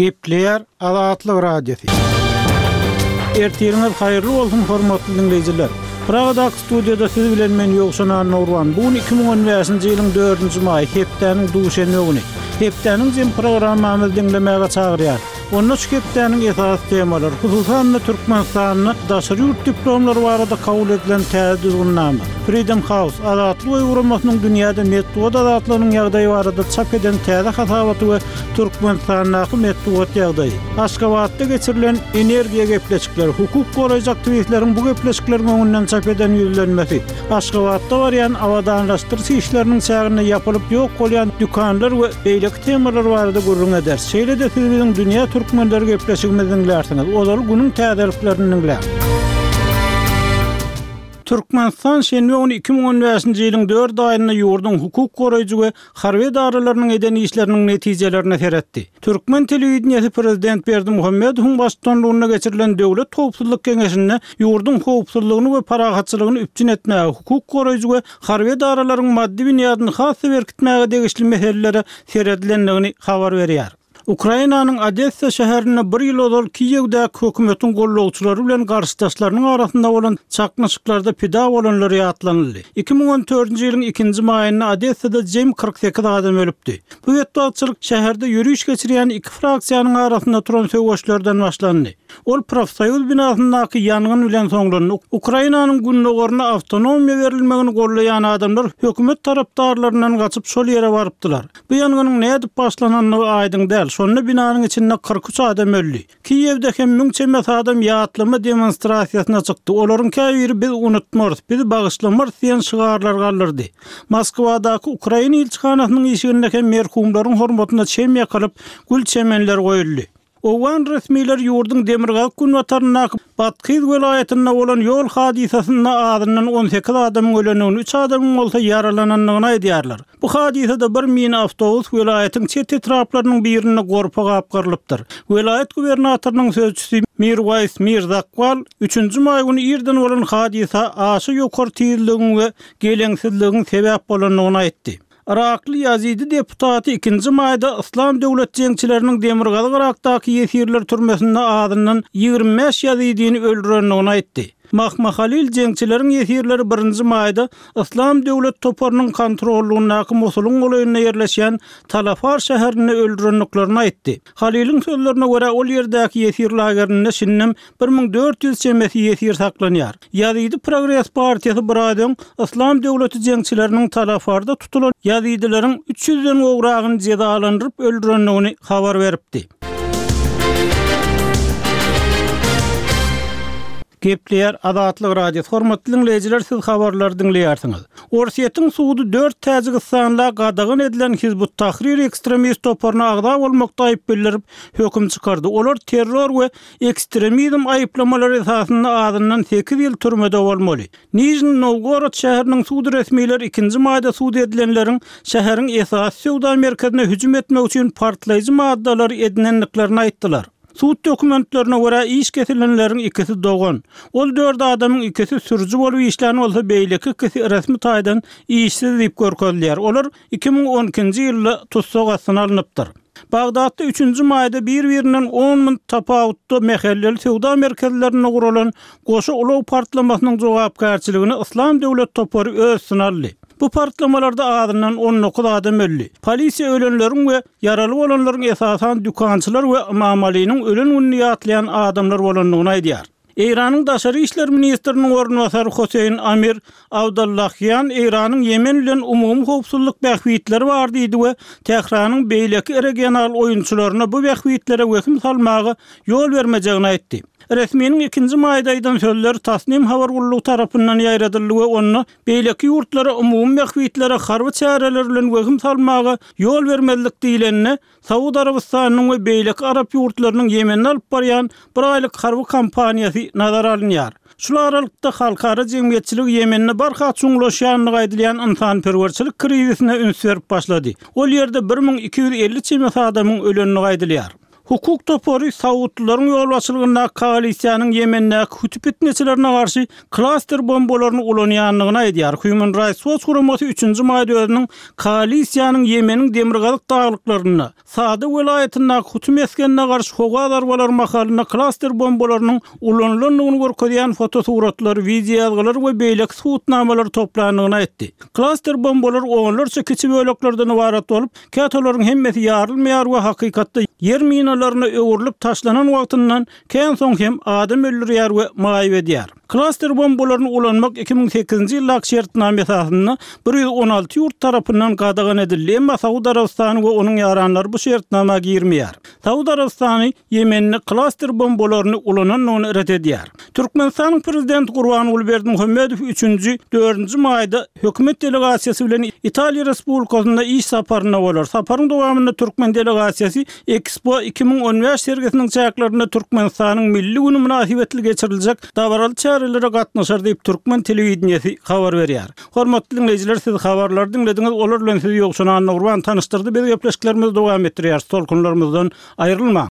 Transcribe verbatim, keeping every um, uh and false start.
Gepleýär Azatlyk Radiosy. Ertiriňiz haýyrly bolsun, hormatly diňleýjiler. Pragadaky studiýada siz bilen men Ýowşan Annagurban. Bu gün iki müň on bäşinji ýylyň dördünji maýy, hepdäniň duşenbe güni. Hepdäniň jem programmamyzy diňlemäge çagyrýar. Onda şu hepdäniň esasy temalary, hususan-da Türkmenistanda daşary ýurt diplomlary barada kabul edilen täze düzgünnama, Freedom House, Azatlyk öýi guramasynyň dünýäde metbugat azatlygynyň ýagdaýy barada çap eden täze hasabaty we Türkmenistandaky metbugat ýagdaýy, Aşgabatda geçirilen energiýa gepleşikleri, hukuk goraýjy aktiwistleriň bu gepleşikleriň öňünden çap eden ýüzlenmesi, Aşgabatda barýan abadanlaşdyryş işleriniň çäginde ýapylyp ýok bolýan dükanlar we beýleki temalar barada gürrüň ederis. Şeýle-de siz biziň Dünýä Türkmenleri gepleşigimizi diňlärsiňiz. Ozaly günüň täzeliklerini diňläň. Türkmenistan şenbe güni iki müň on bäşinji ýylyň dört aýynda ýurduň hukuk goraýjy we harby edaralarynyň eden işleriniň netijelerine seretdi. Türkmen telewideniýesi prezident Berdimuhamedowyň baştutanlygynda geçirilen Döwlet howpsuzlyk geňeşinde ýurduň howpsuzlygyny we parahatçylygyny üpjün etmäge, hukuk goraýjy we harby edaralaryň maddy binýadyny has-da berkitmäge degişli meselelere seredilendigini habar berýär. Ukrainanyň Odessa şäherinde bir ýyl ozal Kiýewdäki hökümetiň gollagçylary bilen garşydaşlarynyň arasynda bolan çaknyşyklarda pida bolanlar ýatlanyldy. Iki müň on dördünji ýylyň ikinji maýynda Odessada jem kyrk sekiz adam ölüpdi. Bu betbagtçylyk şäherde ýöriş geçirýän iki fraksiýanyň arasynda turan söweşlerden başlandy. Ol profsoýuz binasyndaky ýangyn bilen soňlandy. Ukrainanyň gündogaryna awtonomiýa berilmegini gollaýan adamlar hökümet tarapdarlaryndan gaçyp şol ýere barypdylar. Bu ýangynyň nädip başlanandygy aýdyň däl. Şonda binanyň içinde kyrk üç adam öldi. Kiýewde hem müň çemesi adam ýatlama demonstrasiýasyna çykdy. Olaryň käbiri biz unutmarys, biz bagyşlamarys diýen şygarlar galdyrdy. Moskwadaky Ukraina ilçihanasynyň işiginde hem merhumlaryň hormatyna çem ýakylyp, gül çemenler goýuldy. Owgan resmileri ýurduň demirgazyk günbataryndaky Bathyz welaýatynda bolan ýol hadysasynda azyndan on sekiz adamyň ölendigini, üç adamyň bolsa ýaralanandygyny aýdýarlar. Bu hadysada bir mini awtobus welaýatyň çet etraplarynyň birinde gorpa gapgarylypdyr. Welaýat gubernatorynyň sözçüsi Mirwaýs Mirzakbal üçünji maý güni irden bolan hadysa aşa ýokary tizligiň we geleňsizligiň sebäp bolandygyny aýtdy. Yrakly ýazidi deputaty ikinji maýda Yslam döwlet jeňçileriniň Demirgazyk Yrakdaky ýesirler türmesinde azyndan ýigrimi bäş ýazidini öldürendigini aýtdy. Mahma Halil jeňçileriň ýesirleri birinji maýda Yslam döwlet toparynyň kontrollugyndaky Mosulyň golaýynda ýerleşýän Talafar şäherinde öldürendiklerini aýtdy. Haliliň sözlerine görä, ol ýerdäki ýesir lagerinde şindem bir müň dört ýüz çemesi ýesir saklanýar. Ýazidi Progres partiýasy bir aý öň Yslam döwleti jeňçileriniň Talafarda tutulan ýazidileriň üç ýüzden gowragyny jezalandyryp öldürendigini habar beripdi. Gepleýär Azatlyk Radiosy. Hormatly diňleýjiler, siz habarlary diňleýärsiňiz. Orsýetiň sudy dört täjigistanla gadagan edilen Hizb ut-Tahrir ekstremist toparyna agza bolmakda aýyp bildirip, höküm çykardy. Olar terror we ekstremizm aýyplamalary esasynda azyndan sekiz ýyl türmede bolmaly. Nižniý Nowgorod şäheriniň sud resmileri ikinji maýda sud edilenleriň şäheriň esasy söwda merkezine hüjüm etmek üçin partlaýjy maddalary edinendiklerini aýtdylar. Sud dokumentlerine görä iş kesilenleriň ikisi dogan. Ol dört adamyň ikisi sürüji bolup işlän bolsa, beýleki ikisi resmi taýdan işsiz diýip görkezilýär. Olar iki müň on ikinji ýylda tussag astyna alnypdyr. Bagdatda üçünji maýda bir-birinden on müň tapawutda mähelleli söwda merkezlerinde guralan goşa ulag partlamasynyň jogapkärçiligini Yslam döwlet topary öz üstüne aldy. Bu partlamalarda azyndan on dokuz adam öldi. Polisiýa ölenleriň we ýaraly bolanlaryň esasan dükançylar we Ymam Alynyň ölen gününi ýatlaýan adamlar bolandygyny aýdýar. Eýranyň daşary işler ministriniň orunbasary Hoseýn Amir Abdollahian Eýranyň Ýemen bilen umumy howpsuzlyk bähbitleri bar diýdi we Tähranyň beýleki regional oýunçylaryna bu bähbitlere wehim salmaga ýol bermejegini aýtdy. Resminiň ikinji maýda aýdan sözleri Tasnim habar gullugy tarapyndan ýaýradyldy we onda beýleki ýurtlara umumy bähbitlere harby çäreler bilen wehim salmaga ýol bermezlik diýlende, Saud Arabystanynyň we beýleki arap ýurtlarynyň Ýemende alyp barýan bir aýlyk harby kampaniýasy nazara alynýar. Şul aralykda halkara jemgyýetçiligi Ýemende barha çuňlaşýandygy aýdylýan ynsanperwerçilik krizisine üns berip başlady. Ol ýerde bir müň iki ýüz elli çemesi adamyň ölendigi aýdylýar. Hukuk topary saudlylaryň ýolbaşçylygyndaky koalisiýanyň Ýemendäki huti pitneçilerine garşy klaster bombalaryny ulanýandygyny aýdýar. Human Rights Watch guramasy üçünji maýda özüniň koalisiýanyň Ýemeniň demirgazyk daglyklarynda, Sada welaýatyndaky huti mesgenine garşy howa zarbalary mahalynda klaster bombalarynyň ulanylandygyny görkezýän fotosuratlary, wideoýazgylary we beýleki subutnamalary toplandygyny aýtdy. Klaster bombalary onlarça kiçi böleklerden ybarat bolup, käte olaryň hemmesi ýarylmaýar we hakykatda ýer minalaryna öwrülip taşlanan wagtyndan kän soň hem adam öldürýär we maýyp edýär. Klaster bombalaryny ulanmak iki müň sekizinji ýyldaky şertnama esasynda bir ýüz on alty ýurt tarapyndan gadagan edildi, emma Saud Arabystany we onuň ýaranlary bu şertnama girmeýär. Saud Arabystany Ýemende klaster bombalaryny ulanandygyny ret edýär. Türkmenistanyň Prezidenti Gurbanguly Berdimuhamedow üçünji, dördünji maýda hökümet delegasiýasy bilen Italiýa Respublikasynda iş saparynda bolar. Saparyň dowamynda türkmen delegasiýasy Ekspo iki müň on bäş sergisiniň çäklerinde Türkmenistanyň Milli güni mynasybetli geçiriljek dabaraly çärelere gatnaşar diýip, türkmen telewideniýesi habar berýär. Hormatly diňleýjiler, siz habarlary diňlediňiz, olar bilen sizi Ýowşan Annagurban tanyşdyrdy. Biz gepleşiklerimizi dowam etdirýäris, tolkunlarymyzdan aýrylmaň!